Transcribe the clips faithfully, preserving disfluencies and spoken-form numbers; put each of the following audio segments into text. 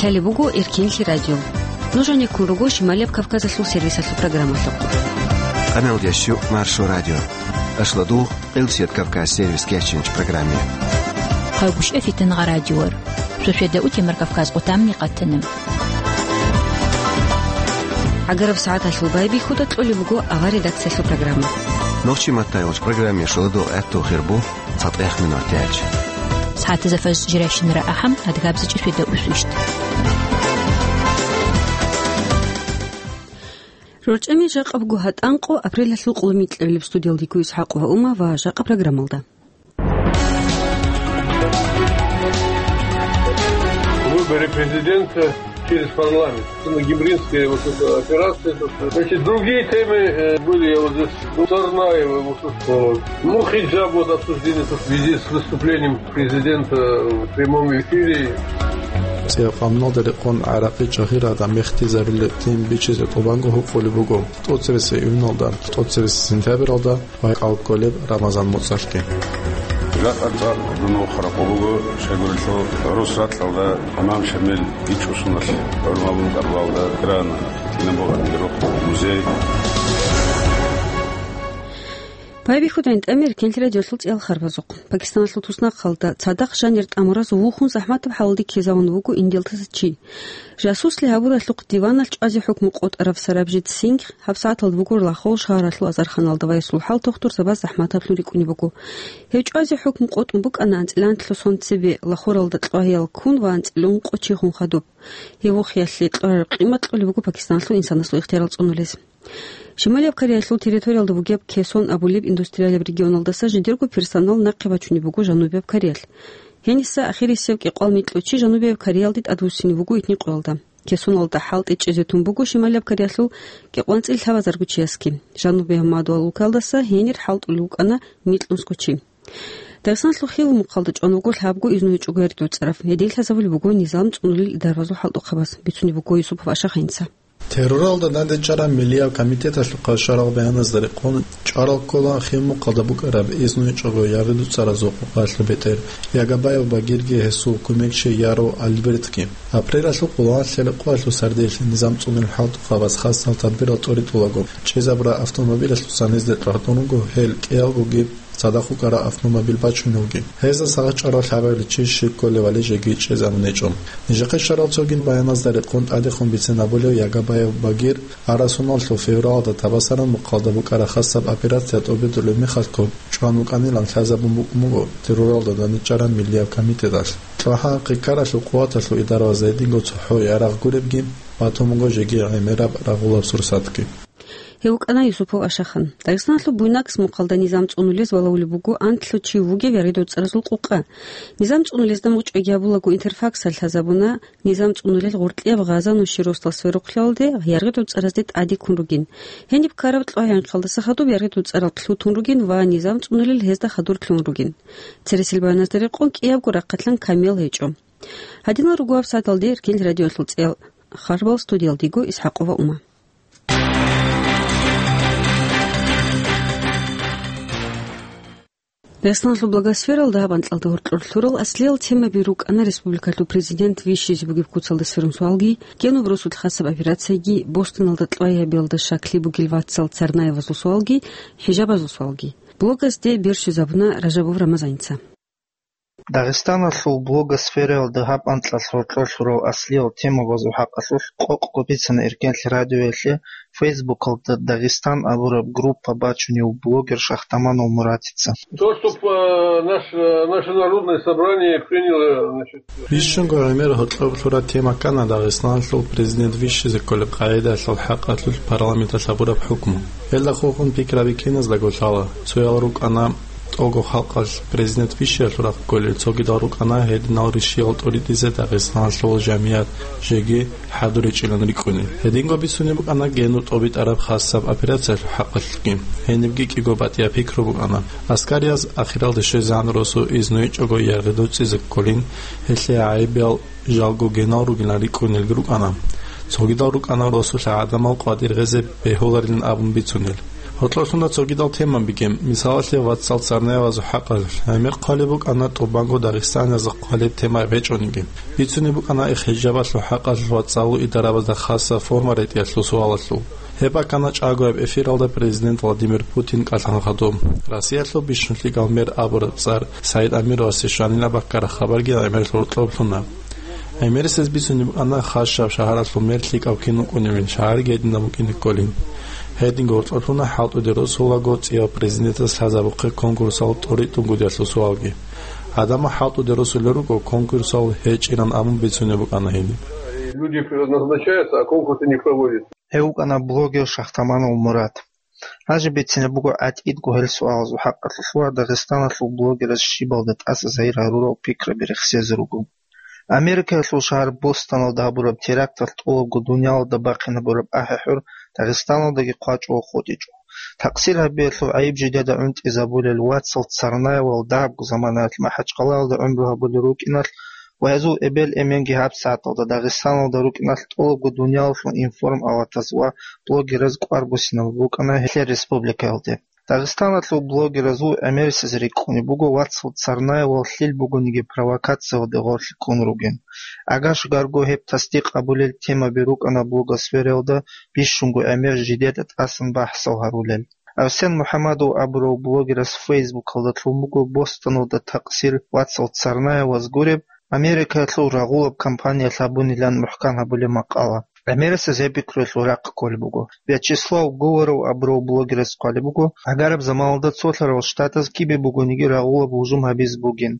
Гьале буго Эркенлъи радио. Нуж гьанеккун руго Шималияб Кавказалъул сервисалъул программалъухъ. Къаналдящу Маршо радио. Ашладугъ, Къилсият Кавказ сервис кечинч программе. Хъайгъушев Фитангъа радиор. Шошеда утемар Кавказ къутамни къатана. ГӀагараб сагӀаталъул байбихьуда кьолеб буго авар редакциялъул программа. Нохчи маттайолч программе шуладугъ гӀатту хирбу. ЦатӀех минутиялъ. СагӀатазда фаз жирайщинара ахӀам, адгабзичӀи шведа усвищт. РорчӀами жакъа буго гьатӀанкъо апрелалъул къулумикьабилеб. Студиялдиго ИсхӀакъ ва Ума ва жакъа программалда. Выборы президента через парламент. Гимринская вот эта операция, это, значит, другие темы, э, были, я вот здесь, ну, Царнаева, вот, э, ну, хиджаб, вот, обсуждение, то, в связи с выступлением президента в прямом эфире. Церкъамналда рекъон гӀаракъи чагьирада мехтизабилеб тем бичизе тӀубанго гьукъулеб буго тӀоцебесеб июналда, тӀоцебесеб сентябралда. Вай къалкколеб Рамазан муцӀалъги. Жакъа цӀакъ дун вохун ракъу буго, щайгурелъул рус ракьалда имам Шамил ичӀусуналъ гӀурмабун кӀарбалда грана, тӀинабугъани рухъ музей. Байбихьуда гӀинтӀамир Эркенлъи радиолъул цӀиялъ харбазухъ. Пакистаналъул туснахъалда цадахъ жанир тӀамураз вухун захӀматаб хӀалалде ккезавун вуго индиялдаса чи. Жасуслъи гьабуралъухъ диваналъ чӀвазе хӀукму къотӀарав Сарабжит Сингх гьабсагӀаталда вугола Лахул шагьаралъул азарханалда ва гьесул хӀал тухтур Сабаз захӀматаблъун рикӀкӀунеб буго. Гьев чӀвазе хӀукму къотӀун букӀана анцӀила нилъго сон цебе Лахуралда кьвагьиял ккун ва анцӀила ункъо чи хун хадуб. Гьев вухиялъе кьураб къимат кьолеб буго Пакистаналъул инсанасул ихтиярал цӀунулес. Шималияб Кореялъул территориялда бугеб Кесон абулеб индустриалияб регионалдаса жидерго персонал нахъе бачунеб буго Жанубияб Кореялъ. Гьениса ахирисев кӀикъвал микьу чи Жанубияб Кореялде тӀадвуссине вуго итни къоялда. Кесоналда хӀалтӀи чӀезе тун буго Шималияб Кореялъул кӀикъванцӀил лъабазарго чиясги. Жанубияб Мадуал улкалдаса гьенир хӀалтӀулев вукӀана микьнусго чи. Дагъистаналъул Хилмухъалда чӀван вуго лъабго изнугьичӀого яридуцӀарав. Гьедин лъазабулеб буго низам цӀунулел идарабазул хӀалтӀухъабаз, бицунеб буго Юсупов Ашахинца. Терроралда дандечӀараб миллияб комитеталъухъа щварал баяназда рекъон, чӀварал ккола Хилмухъалда букӀараб изнугьичӀого яридуцӀаразул къокъалъул бетӀер Ягабаев Багирги гьесул кумекчи Яров Альбертги. Апрелалъул къоло нилъер къоялъул сардилъ низам цӀунулел хӀалтӀухъабаз хасал тадбирал тӀоритӀулаго, чӀезабураб автомобилалъусан гьезде тӀагӀдун руго гьел кӀиялгоги цадахъ вукӀараб автомобил бачуневги. Гьезда сагъат чӀварал лъабабилеб чи щиб кколевали жеги чӀезабун гьечӀо. Нижехъе щварал цоги баяназда рекъон тӀадехун бицен абулев Ягабаев Багир арасуналъул февралда Табасаранмухъалда букӀараб хасаб операция тӀобитӀулеб мехалъго чӀван вукӀанилан лъазабун букӀун буго терроралда дандечӀараб миллияб комитеталъ. ЦӀакъ хъикаралъул къуваталъул идарабаз гьединго цохӀо ярагъ гуребги, батун буго жеги гӀемераб рагъулаб сурсатги. Гьев вукӀана Юсупов Ашахан. Дагъистаналъул Буйнакск мухъалда низам цӀунулез балагьулеб буго анлъго чи вугев яргъи доцӀаразул къукъа. Низам цӀунулезда мугъ чӀваги гьабулаго Интерфаксалъ лъазабуна, низам цӀунулел гъоркьияб Гъаза Нуширосдал сверухълъиялде яргъи доцӀаразде тӀаде ккун ругин. Гьениб ккараб кьвагьинхъалдаса хадуб яргъи доцӀарал лъутун ругин ва низам цӀунулел гьезда хадур лъугӀун ругин. Цересел баяназда рекъон кӀиябго рахъалъан камиял гьечӀо. Гьадинал руго гьабсагӀаталде Эркенлъи радиоялъул цӀиялъ харбал, студиялдиго ИсхӀакъова Ума. Дагъистаналъул блогосфералда гьаб анкьалда гьоркьор лъурал аслиял темаби рукӀана республикалъул президент вищизе бугеб куцалда сверун суалги, генуб росулъ хасаб операцияги, Бостоналда кьвагьабиялда щаклъи бугел вацал Царнаевазул суалги, хӀижабазул суалги. Блогасде бер щвезабуна Ражабов Рамазаница. Дагъистаналъул блогосфераялда гьаб анкьалъ гьоркьор лъурал аслиял темабазул хӀакъалъулъ къокъго бицана Эркенлъи радиоялъе Фейсбукалда Дагъистан абураб группа бачунев блогер Шахтаманов Муратица. То, что, э, наш-, э, наше народное собрание приняло, значит, Бищунго гӀемер гьоркьоб лъураб тема ккана Дагъистаналъул президент вищизе кколеб къагӀидалъул хӀакъалъулъ парламенталъ гьабураб хӀукму. Гьелда хухун пикраби киназдаго лъала. Цоял рукӀана тӀого халкъалъ президент вищиялъул рахъ кколел, цогидал рукӀана гьединал ришиял тӀоритӀизе Дагъистаналъул жамият жеги хӀадуричӀилан рикӀкӀунел. Гьединго бицунеб букӀана генуб тӀобитӀараб хасаб операциялъул хӀакъалъулъги. Гьенибги кӀиго батӀияб пикру букӀана. Аскарияз ахиралде щвезегӀан росу изнугьичӀого яргъи доцӀизе кколин, гьелъие гӀайибиял жалго генал ругилан рикӀкӀунелги рукӀана. Цогидал рукӀана росулъа гӀадамал къватӀир гъезе бегьуларилан абун бицунел. Гьоркьорлъуна цогидал темабиги, мисалалъе, вацал царнаявазул хӀакъалъулъ. ГӀемер хъвалеб букӀана тӀубанго дагъистаниязда хъвалеб тема гьечӀониги. Бицунеб букӀана хӀижабалъул хӀакъалъулъ вацалул идарабазда хасаб форма ретӀиялъул суалалъул. Гьеб бакӀана чӀагояб эфиралда президент Владимир Путин кӀалъан хадуб. Россиялъул бищун лъикӀав мэр абураб цӀар СагӀид Амировасе щванила баккараб хабарги гӀемер гьоркьорлъуна. ГӀемерисез бицунеб букӀана хасаб шагьаралъул мэр лъикӀав кин вукӀуневин, шагьарги гьединаб букӀине кколин. Гьединго гьоркьорлъуна хӀалтӀуде росулаго цӀияв президентас лъазабухъе конкурсал тӀоритӀунгутӀиялъул суалги. Гьадамал хӀалтӀуде росулел руго конкурсал гьечӀилан абун бицунеб букӀана гьениб. Люди назначаются, а конкурсы не проводятся. Гьев вукӀана блогер Шахтаманов Мурат. Гьанже бицинеб буго гӀатӀидго гьел суалазул хӀакъалъулъ ва Дагъистаналъул блогераз щибалда тӀаса загьир гьарурал пикраби рехсезе руго. Америкаялъул шагьар Бостоналда гьабураб теракталъ тӀолабго дуниялалда бахъинабураб ахӀи-хӀур Дагъистаналдаги хъвачӀого хутӀичӀо. Такъсир гьабиялъул гӀайиб жидеда гӀунтӀизабулел вацал Царнаевал дагьабго заманаялъ МахӀачхъалаялда гӀумру гьабулел рукӀиналъ ва гьезул эбел-эменги гьабсагӀаталда Дагъистаналда рукӀиналъ тӀолабго дуниялалъул информ-аватаз ва блогераз кӀвар буссинабураб букӀана гьелъ республикаялде. Дагъистаналъул блогеразул гӀемерисез рикӀкӀунеб буго вацал Царнаевал лъил бугониги провокациялде гъорлъ ккун ругин. Агаш-гарго гьеб тасдикъ гьабулел темаби рукӀана блогосфераялда бищунго гӀемер жидеда тӀасан бахӀсал гьарулел. Арсен МухӀамадов абурав блогерас Фейсбукалда лъун буго Бостоналда такъсир вацал Царнаеваз гуреб, Америкаялъул рагъулаб кампаниялъ гьабунилан мухӀкан гьабулеб макъала. ГӀемерисез гьеб пикруялъул рахъ кколеб буго. Вячеслав Говоров абурав блогерас хъвалеб буго, гӀагараб заманалда цолъарал штатаз кибе бугониги рагъулаб гьужум гьабизе бугин.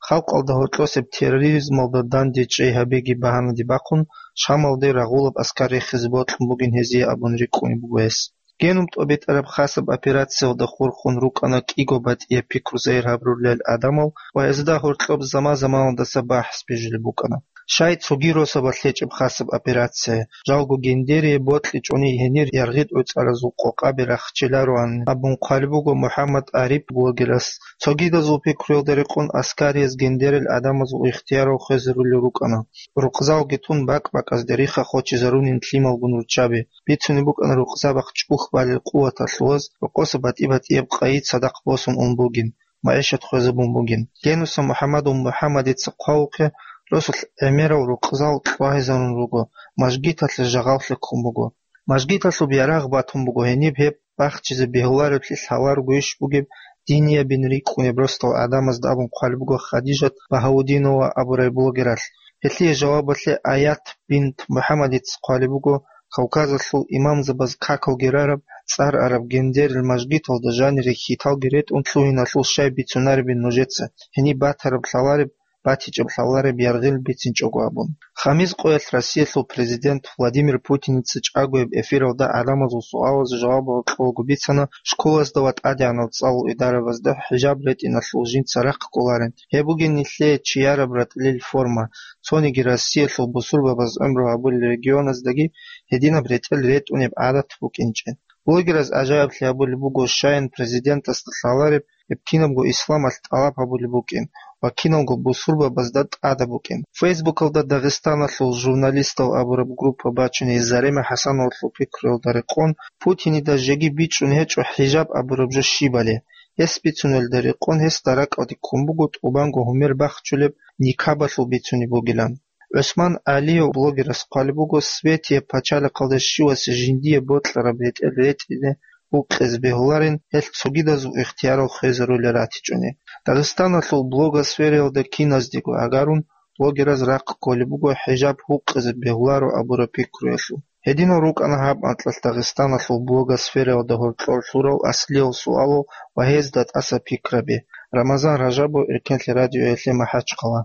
Халкъалда гьоркьосеб терроризмалда данде чӀей гьабиги багьанаде бахъун, Шамалде рагъулаб аскар рехизе бокьун бугин гьезие абун рикӀкӀунеб буго гьес. Генум тӀобитӀараб хасаб операциялда хурхун рукӀана кӀиго батӀияб пикру загьир гьабурулел гӀадамал ва гьезда гьоркьоб заман-заманалдаса бахӀс бижулеб букӀана. Щай цоги росабалъ гьечӀеб хасаб операция, жалго гендерие бокьичӀони гьенир яргъи гӀуцӀаразул къокъаби рахчилароан абун хъвалеб буго МухӀаммад Ариф блогерас. Цогидазул пикруялда рекъон аскариз гендерил гӀадамазул ихтиярал хвезарулел рукӀана. Рукъзалги тун бакӀ-бакӀазде риха хочизарунин лъималгун руччаби. Бицунеб букӀана рукъзабахъ чӀухь балел къуваталъулаз рокъоса батӀи-батӀияб къайи цадахъ босун ун бугин, магӀишат хвезабун бугин. Генуса МухӀаммадов МухӀаммадица хъвалухъе, росулъ гӀемерал рукъзал кьвагьизарун руго, мажгиталъе жагъаллъи ккун буго. Мажгиталъуб ярагъ батун буго гьениб гьеб бахчизе бегьуларевлъи лъаларогойищ бугеб диниябин рикӀкӀунеб росдал гӀадамазда абун хъвалеб буго Хадижат Багьаудинова абурай блогералъ. Гьелъие жавабалъе Аят бинт МухӀаммадица хъвалеб буго, Кавказалъул имамзабаз какалги рараб, цӀар араб гендерил мажгиталда жанире хьиталги ретӀун лъугьиналъул щай бицунаребин нужеца, гьениб батараб лъалареб, батичӀеб лъалареб яргъил бицинчӀого абун. Хамис къоялъ Россиялъул президент Владимир Путиница чӀагояб эфиралда гӀадамазул суалазе жавабал кьолго бицана школазда ва тӀадегӀанав цӀалул идарабазда хӀижаб ретӀиналъул жинца рахъ кӀоларин. Гьеб бугин нилъее чияраб ратӀлил форма, цониги Россиялъул бусурбабаз гӀумру гьабулел регионаздаги гьединаб ретӀел ретӀунеб гӀадат букӀинчӀеб. Блогераз гӀажаиблъи гьабулеб буго, щаян президентасда лъалареб гьеб кинабго исламалъ тӀалаб гьабулеб букӀин ва киналго бусурбабазда тӀадаб букӀин. Фейсбукалда Дагъистаналъул журналистал абураб группа бачуней Зарема ХӀасановалъул пикруялда рекъон, Путинида жеги бичӀчӀун гьечӀо хӀижаб абураб жо щибали. Гьес бицунелда рекъон гьесда ракӀалде ккун буго тӀубанго гьумер бахчулеб никабалъул бицунеб бугилан. ГӀусман ГӀалиев блогерас хъвалеб буго, Светияб пачалихъалда щивасе жиндие бокьараб ретӀел ретӀине гьукъизе бегьуларин, гьелъ цогидазул ихтиярал хвезарулел ратичӀони. Дагъистаналъул блогосфераялда киназдего гӀагарун, блогераз рахъ кколеб буго хӀижаб гьукъизе бегьуларо абураб пикруялъул. Гьединал рукӀана гьаб анкьалъ Дагъистаналъул блогосфераялда гьоркьор лъурал аслиял суалал ва гьезда тӀаса пикраби. Рамазан Ражабов, Эркенлъи радиоялъе, МахӀачхъала.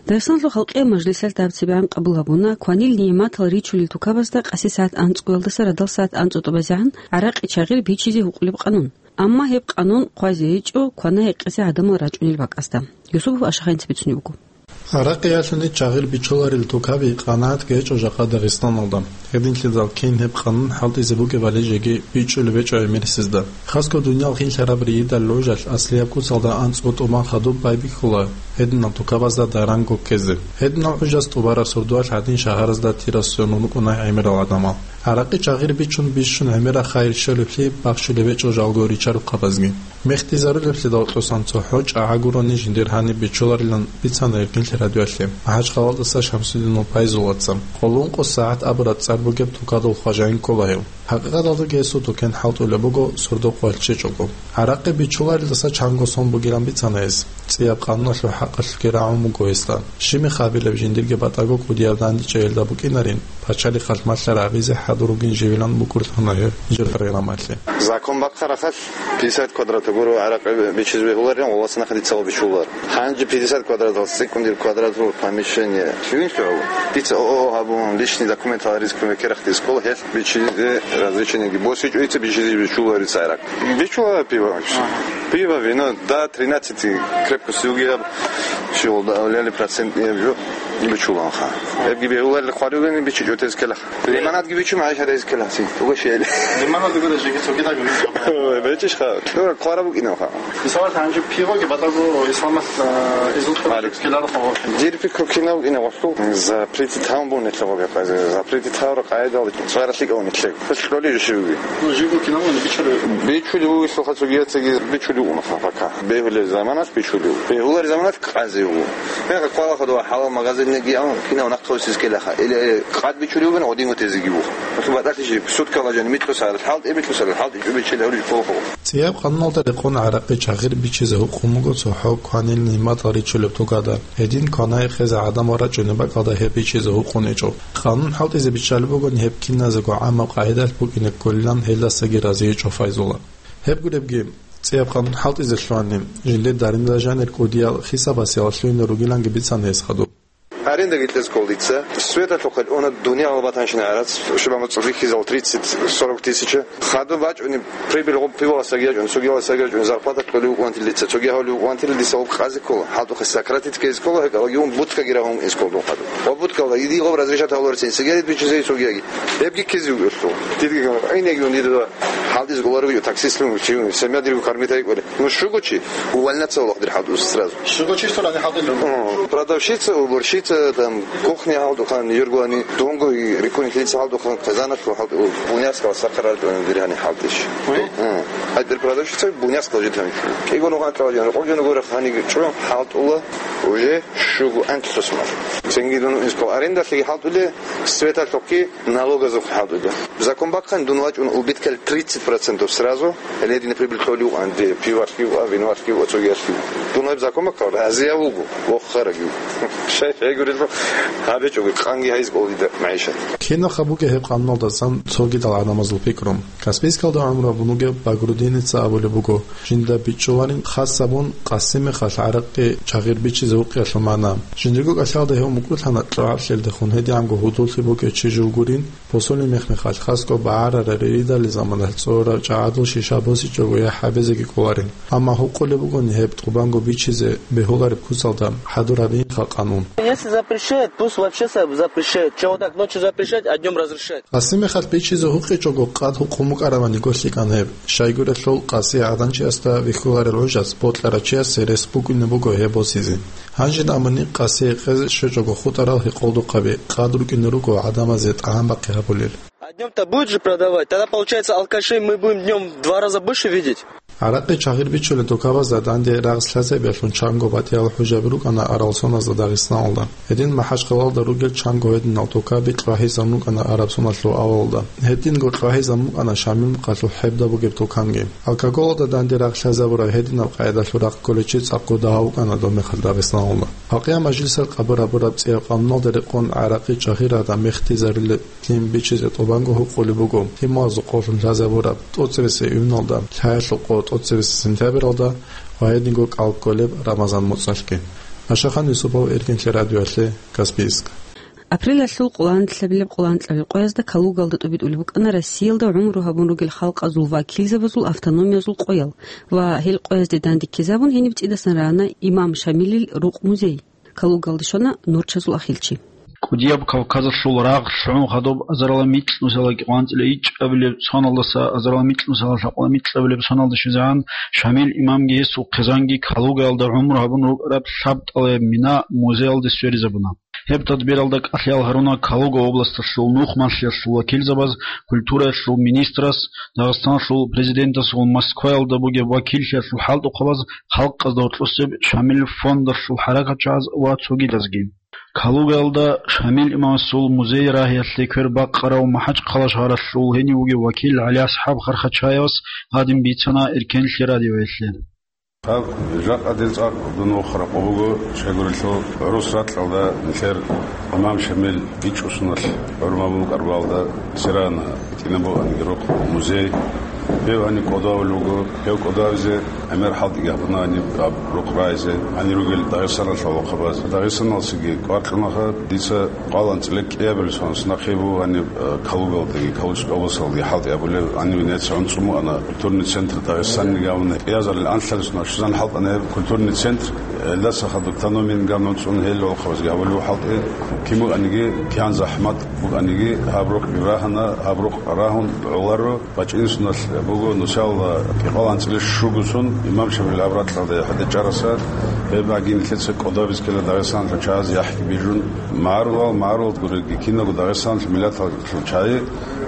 Дагъистаналъул халкъиял мажлисалъ дабцибегӀан къабул гьабуна кванил нигӀматал ричулел тукабазда къаси сагӀат анцӀгоялдаса радал сагӀат анцӀго тӀубазегӀан гӀаракъи чагъир бичизе гьукъулеб къанун. Амма гьеб къанун хъвазе гьечӀо квана-гьекъезе гӀадамал рачӀунел бакӀасда. Юсупов Ашаханца бицунеб буго. ГӀаракъиялъуни чагъир бичуларел тукаби къанагӀат гьечӀо жакъа Дагъистаналда. Гьединлъидал кин гьеб къанун хӀалтӀизе бугебали жеги бичӀчӀулеб гьечӀо гӀемерисезда. Хасго дуниял хинлъараб рийидал гӀужалъ аслияб куцалда анцӀго тӀубан хадуб байбихьула гьединал тукабазда даранго ккезе. Гьединал гӀужаз тӀубараб сордоялъ гьадин шагьаразда тирасунун рукӀуна гӀемерал гӀадамал. ГӀаракъи чагъир бичун бищун гӀемераб хайир щолеблъи бахчулеб гьечӀо жалго ричарухъабазги. Мехтизарулеблъидал тӀосан цохӀо чӀагӀа гурони жиндир гьаниб бичуларилан бицана Эркинлъи радиоялъе МахӀачхъалаялдаса Шамсудинов Пайзулаца. Къоло ункъо сагӀат абураб цӀар бугеб тукадул хважаин ккола гьев. ХӀакъикъаталдаги гьесул тукен хӀалтӀулеб буго сордо къоялъ чӀечӀого. ГӀаракъи бичуларелдаса чанго сон бугилан бицана гьес. ЦӀияб къануналъул хӀакъалъулъги рагӀун буго гьесда. Щиб мехалъ абилеб, жиндирги батӀаго кӀудияб дандечӀейилда букӀинарин, пачалихъалъ малъараб гӀабизе хӀадур ругин живилан букӀурлъана гьев жер программалъе. Закон бахъарахъалъ пятьдесят квадрат гуро гӀаракъи бичизе бегьуларин, ва вацанахъ дица гъо бичулар. Гьанже пятьдесят квадратал цӀикӀкӀун дир квадратул помещение лъугьин лъугьав. Дица ООО гьабун, личный документал рискун векерахъ дискол гьелъ бичизе разрешениеги босичӀо, дица бичизе бичуларица гӀаракъ. Бичула пиво. Пиво, вино, до тринадцати крепкости угияб, щивалда авлияли процент нияб жо бичуланха. Эбги бегьуларил хъварилани бичичӀо тез келах. Лимонадги бичу, магӀишат гьез келаси. Угощение. Лимонад гуро жеги цогида гуро. Ой, бичиш ха. Тура хъвара букӀинав ха. Мисалат, гьанже пивоги батаго исламас, а, изут Алик. Келаро ха. Дир пикру кинав ина вахту. Запретит гьавун бун нилъа гъоби къазе. Запретит гьавра къайдал цваралъи кавун нилъег. Хъулъ кьоли жо шивги. Ну, жиго кинав ина бичули. Бичули вугисло ха цогияцаги бичули уна ха пока. Бегьулел заманас бичули. Бегьулар заманас къазе ву. Мега квала ходова хӀалал магазиннеги ан кинав нахъ тосиз келаха. Или къад бичули вугин гъодин гъотезеги ву. Баталъи жиб, суткала жани микьусарал хӀалтӀи, микьусарал хӀалтӀи чӀубичил гьаврил кколхо. ЦӀияб къануналда рекъон гӀаракъи чагъир бичизе гьукъун буго цохӀо кванил нигӀматал ричулеб тукада. Гьедин кванай хезе гӀадамал рачӀунеб бакӀалда гьеб бичизе гьукъун гьечӀо. Къанун хӀалтӀизе биччалеб бугони гьеб киназего гӀамаб къагӀидалъ букӀине кколилан гьелдасаги разиечӀо Файзула. Гьеб гуребги, цӀияб къанун хӀалтӀизе лъугьани, жиндир даринда жанир кӀудиял хисабасиялъугьине ругиланги бицана гьес хадуб. Арендаги кьез ккол дица. Светалъухъе уна дуниял батанщина гӀарац, шибама цӀудихьизал тридцать сорок тысяча. Хадуб бачӀуни прибыль гъуб пиваласаги ячӀун, цогияласаги ячӀун, зарплата кьолев вукӀунтил дица, цоги гьавлев вукӀунтил диса гъуб къазе ккола. ХӀалтӀухъе сократить ккезе ккола, гьекъалаги ун будкаги рагьун эс ккол дун хадуб. Ва будкалда иди гъуб разрешат гьавлур сен сигарет бичизе цогияги. Гьебги ккезе вукӀелъул. Дидги гьайнеги ун дида хӀалтӀиз гъоларев таксистлъун чи, семья диргу кармитайкӀули. Ну, щуго чи, увольняться валагъдир хӀалтӀуз сразу. Щуго чи, что ли, хӀалтӀулев? О, продавщица, уборщица, там, кухня хӀалтӀухан, юргуани, дунго и рикунихлица хӀалтӀухан, казанат хӀалтӀу, буняскал сахарал диргьани хӀалтӀиш. Ой? О, а дир продавщица буняскал житан. Кигон уган калажан, рокъовжан гора хани чу хӀалтӀула, уже щуго антлъус мар. Цинги дун искал арендалъиги хӀалтӀуле, светалъухъги, налогазухъ хӀалтӀуда. Закон бахъан дун вачӀун убыткал тридцать процентов сразу, ледине прибыль кьолев вукӀан, де, пивалъги вукӀа, виноалъги вукӀа, цогиялъги вукӀа. Дун гьеб закон бахъал разияв вуго, воххарагив. Шай-шай гурелъул гьабичӀого, къанги гьайз кӀолдида магӀишат. Кинаха бугеб гьеб къануналдасан цогидал гӀадамазул пикру. Каспийскалда гӀумру гьабун вугев Багрудиница абулеб буго, жинда бичӀчӀуларин хас гьабун, къаси мехалъ гӀаракъи чагъир бичизе гьукъиялъул магӀна. Жиндирго кӀалъалда гьев мукӀурлъана кьогӀаблъиялдехун гьедигӀанго гьудуллъи букӀев чи жив гурин, посольный мех-мехалъ хасго багӀарарал ридалил заманалъ цӀорарав чагӀадул шиша босичӀого яхӀ гьабизеги кӀоларин. Амма гьукъулеб бугони гьеб тӀубанго бичизе бегьулареб куцалда хӀадур гьабиинха къанун. Если запрещает, пусть вообще са-, запрещает. Чего вот так ночью запрещать, а днём разрешать? Къаси мехалъ бичизе гьукъичӀого къад гьукъун букӀаравани гьикъан гьеб. Щайгурелъул къаси гӀаданчиясда вихьуларел гӀужалъ бокьарав чиясе рес букӀине буго гьеб босизе. Гьанжин амани къаси гьекъезе щвечӀого хутӀарал гьекъолдухъаби къад рукӀине руго гӀадамазе тӀагӀам бахъи гьабулел. А днём-то будет же продавать? Тогда, получается, алкашей мы будем днём в два раза больше видеть? ГӀаракъи чагъир бичулел тукабазда данде рагъ лъазабиялъун чанго батӀиял хӀужаби рукӀана араб соназда Дагъистаналда. Гьедин МахӀачхъалаялда ругел чанго гьединал тукаби кьвагьизабун рукӀана араб соналъул авалалда. Гьединго кьвагьизабун рукӀана Шамил мухъалъул хӀебда бугеб туканги. Алкоголалда данде рагъ лъазабураб гьединаб къайдалъул рахъ кколев чи цӀакъго дагьав вукӀана доб мехалъ Дагъистаналда. Гьакъияб мажлисалъ къабул гьабураб цӀияб къануналда рекъон гӀаракъи чагъир гӀадан мехтизарулел Лъим бичизе тӀубанго гьукъулеб буго, лъималазул къолъун лъазабураб тӀоцебесеб июналда, лъаялъул къо тӀоцебесеб сентябралда ва гьединго кӀал кколеб Рамазан моцӀалъги. Ашахан Юсупов, Эркинлъи радиоялъе, Каспийск. Апрелалъул къоло анлъабилеб къоло анкьабилеб къоязда Калугаялда тӀубитӀулеб букӀана Россиялда гӀумру гьабун ругел халкъазул вакилзабазул автономиязул къоял ва гьел къоязде данде ккезабун гьениб цӀидасан рана Имам Шамилил рукъ-музей. Калугаялда щвана норчазул ахилчи. КӀудияб Кавказалъул рагъ лъугӀун хадуб азарила микьнусиялда кӀикъоялда анцӀила ичӀабилеб соналдаса азарила микьнусиялда лъабкъоялда микьабилеб соналда щвезегӀан Шамил имамги гьесул хъизанги Калугаялда гӀумру гьабун рукӀараб лъабтӀалаяб мина музеялде сверизабуна. Гьеб тадбиралда кӀалъиял гьаруна Калуга областалъул нухмалъиялъул вакилзабаз, культураялъул министрас, Дагъистаналъул президентасул Москваялда бугеб вакиллъиялъул хӀалтӀухъабаз, халкъазда гьоркьосеб Шамил фондалъул хӀаракатчагӀаз ва цогидазги. Калугаялда Шамил имамасул музей рагьиялъе квер бакъарав МахӀачхъала шагьаралъул гьенив вугев вакил ГӀалиасхӀаб Хархачаевас гьадин бицана Эркенлъи радиоялъе. Гьаб жакъа дир цӀакъ дун вохун ракъу буго, щайгурелъул гӀурус ракьалда нилъер имам Шамил бичӀчӀусуналъ гӀурмаб букӀарбалда Сирана. КӀинабго гьаниб рукъ музей. Гьев гьаниб кӀодовулев вуго. Гьев кӀодовизе гӀемер хӀалтӀиги гьабуна гьаниб гьаб рукъ рагьизе. Гьанир ругел Дагъистаналъул гӀолохъабаз. Дагъистаналдасаги къваркьунаха, дица къвалан цӀилек кӀиабилеб соналъ нахъе буго гьаниб, э, Калугалдаги, Калужской областалдаги хӀалтӀи гьабулеб. Гьаниб Венеция гӀунцӀун букӀана культурный центр Дагъистаниги гьавуна. КӀиазарил анлъабилеб соналъ щвезан хӀалтӀана гьеб культурный центр. Гьелдаса хадуб тономин гамнун цӀун гьел гӀолохъабазги гьабулев хӀалтӀи, кин букӀаниги, кигӀан захӀмат букӀаниги, гьаб рукъ рагьана, гьаб рукъ рагьун гӀоларо, бачӀинсуналъ буго нусал кӀикъоялда анцӀила щуго сон имам Шамил гьаб ракьалда хӀадечӀараса, гьеб гьагин нилъеца кӀодобиз ккела Дагъистаналъул чагӀаз яхӀги бижун, магӀарулал, магӀарулал гуреги киналго Дагъистаналъул миллаталъул чагӀи,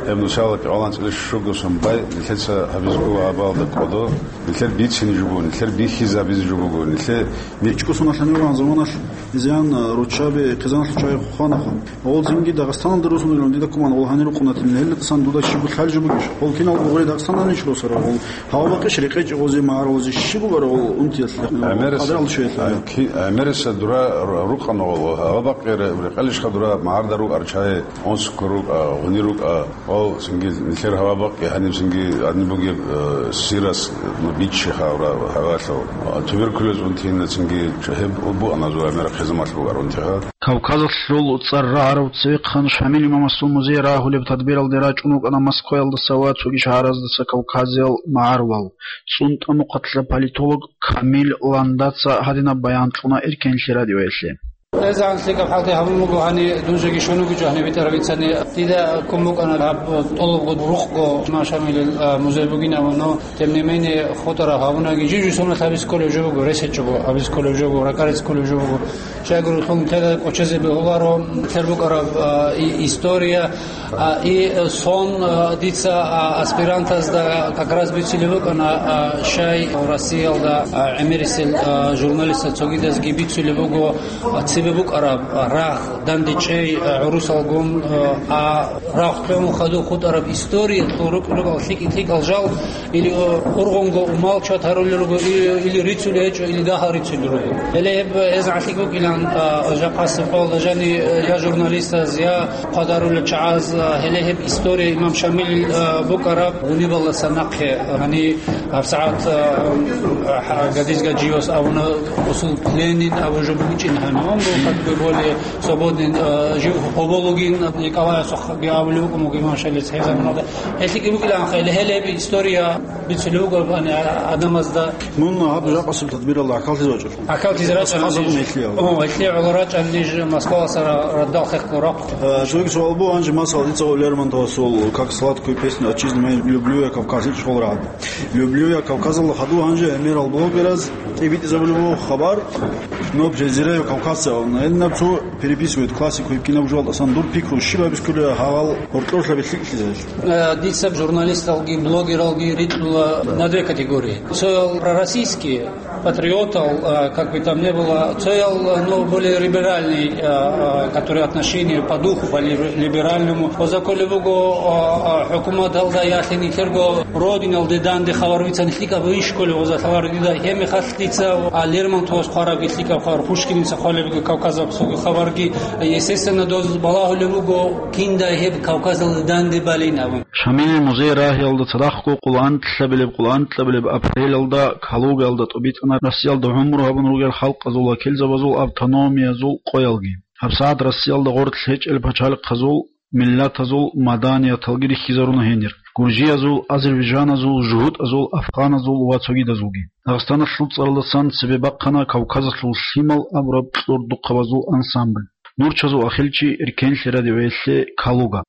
гьеб нусал кӀикъоялда анцӀила щуго сон бай нилъеца гьабизе буго гьабалда кӀодо. Нилъер бицине жо буго, нилъер бихьизабизе жо буго, нилъер бичӀчӀусуналъ гьаниван заманалъ изян, а, руччаби хъизаналъул чагӀи хванаха. Гъол цинги Дагъистаналда русун вилан дида куман, гъол гьанир рукъунатин, гьелда тасан дуда щиб лъал жо бугищ? Гъол кинал гъугъуре Дагъистаналда нич росара, гъол гьава бакъищ рекъечӀ гъозе магӀарулазе щиб бугара гъол унтиялъе? ГӀемерис-, Къадрал чуялъе. А, ки-, гӀемериса дура ру-, рукъана гъол, гьава бакъи ре-, рекъелищха дура магӀарда рукӀар чагӀи, онсуккун рукӀа, гьунир рукӀа. Гъол цинги нилъер гьава бакъи гьаниб цинги гьаниб бугеб, э, сирас, ну, биччи хавра гьавалъав. Туберкулез унтина цинги гьеб буана зура мера хъизамалъ бугар унтиха. Кавказалъул цӀар рагӀарав цевехъан Шамил имамасул музей рагьулеб тадбиралде рачӀун вукӀана Москваялдаса ва цоги шагьараздаса кавказиял магӀарулал, цӀунтӀа-мухъалъа политолог Камил Ландаца гьадинаб баян кьуна Эркенлъи радиоялъе. ГӀезегӀан лъикӀаб хӀалтӀи гьабун буго гьани, дун жеги щун вугичӀо гьаниб битӀараб бицани. Дида ккун букӀана гьаб тӀолабго рукъго имам Шамилил, а, музей бугин абун, но, тем не менее, хутӀараб гьабунаги, жив-жив соналъ гьабизе кколеб жо буго, рес гьечӀого гьабизе кколеб жо буго, ракӀаризе кколеб жо буго. Щайгурелъул нилъеда кӀочезе бегьуларо нилъер букӀараб, а, и-, история. А, и сон, а, дица, а, аспирантазда как раз бицулеб букӀана, а, щай Россиялда, а, гӀемерисел, а, журналистаз цогидазги бицулеб буго, а, цебе букӀараб, а, рагъ, дандечӀей, а, гӀурусалгун, а, а, рагъ лъун хадуб хутӀараб историялъул рукӀ-, рукӀал лъикӀ-лъикӀал жал, или, а, ургъунго умал чват гьарулел руго, или, или рицулел гьечӀо, или дагьал рицулел руго. Гьеле гьеб гӀезегӀан лъикӀ букӀилан, а, жакъасеб къоялда жани, а, я журналистаз, я хъвадарулел чагӀаз, а, гьеле гьеб история имам Шамил, а, букӀараб гьунибалдаса нахъе, а, гьани гьабсагӀат, а, а, гадиз-гаджиос абуна, осул пленин абу жо бучӀин гьаниван бу, как бы более свободный, а, жив гьоболугин, Николаевсухъги абулев вукӀун буго имам Шамилица гьеб заманалда. ГьелъикӀ букӀилан хъайила, гьеле гьеб история бицулев вуго, гьани, а, адамазда. Мун гьаб жакъасеб тадбиралда гӀахьаллъизе вачӀа. ГӀахьаллъизе рачӀана. О, гьелъие гӀоло рачӀана ниж Москваласа ра-, радал хехго рахъ. Э, цоги суал буго, гьанже масала дица Лермонтовасул «Как сладкую песню отчизны мою люблю я, Кавказ» ичӀ хол рагӀад. «Люблю я, Кавказалда» хаду гьанже гӀемерал блогераз тӀибитӀизабулеб буго хабар, но презираю кавказцев. Гьениб цо переписывает классику гьеб кинаб жугьал, асан дур пикру щиб гьабискулев гьавал гьоркьорлъа белъикӀлъизарищ? Э, дица журналисталги, блогералги рикьула на две категории. Цоял пророссийские, патриотал, э, как бы там ни было, цоял, э, ну, более либеральный, э, э, которые отношения по духу, по ли-, либеральному. Оза кколеб буго, э, э, хӀукуматалда ялъине ккерго родиналде данде хабар бицани лъикӀаб иш кколеб оза хабар дида. Гьеб мехалъ дица, а, Лермонтовас хъварабги лъикӀаб хабар, Пушкиница хъвалеб буго Кавказалъулги хабарги, естественно, доз балагьулеб буго, киндай гьеб Кавказалде данде балин абун. Шамилил музей рагьиялда цадахъго къоло анкьабилеб, къоло анкьабилеб апрелалда Калугаялда тӀубитӀана Россиялда гӀумру гьабун ругел халкъазул вакилзабазул автономиязул къоялги. ГьабсагӀат Россиялда гъорлъ гьечӀел пачалихъазул, миллатазул маданияталги рихьизаруна гьенир: гуржиязул, азербайжаназул, жугьутӀазул, афганазул ва цогидазулги. Дагъистаналъул цӀаралдасан цебе бахъана Кавказалъул лъимал абураб кьурдухъабазул ансамбль. Нурчазул Ахилчи, Эркенлъи радиоялъе, Калуга.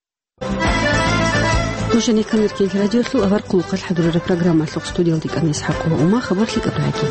Нуж гьанир ккелъ радиолъул авар хъулухъалъ хӀадурараб программалъухъ. Студиялда кӀана ИсхӀакъ ва Ума. Хабар лъикӀаб рагӀи.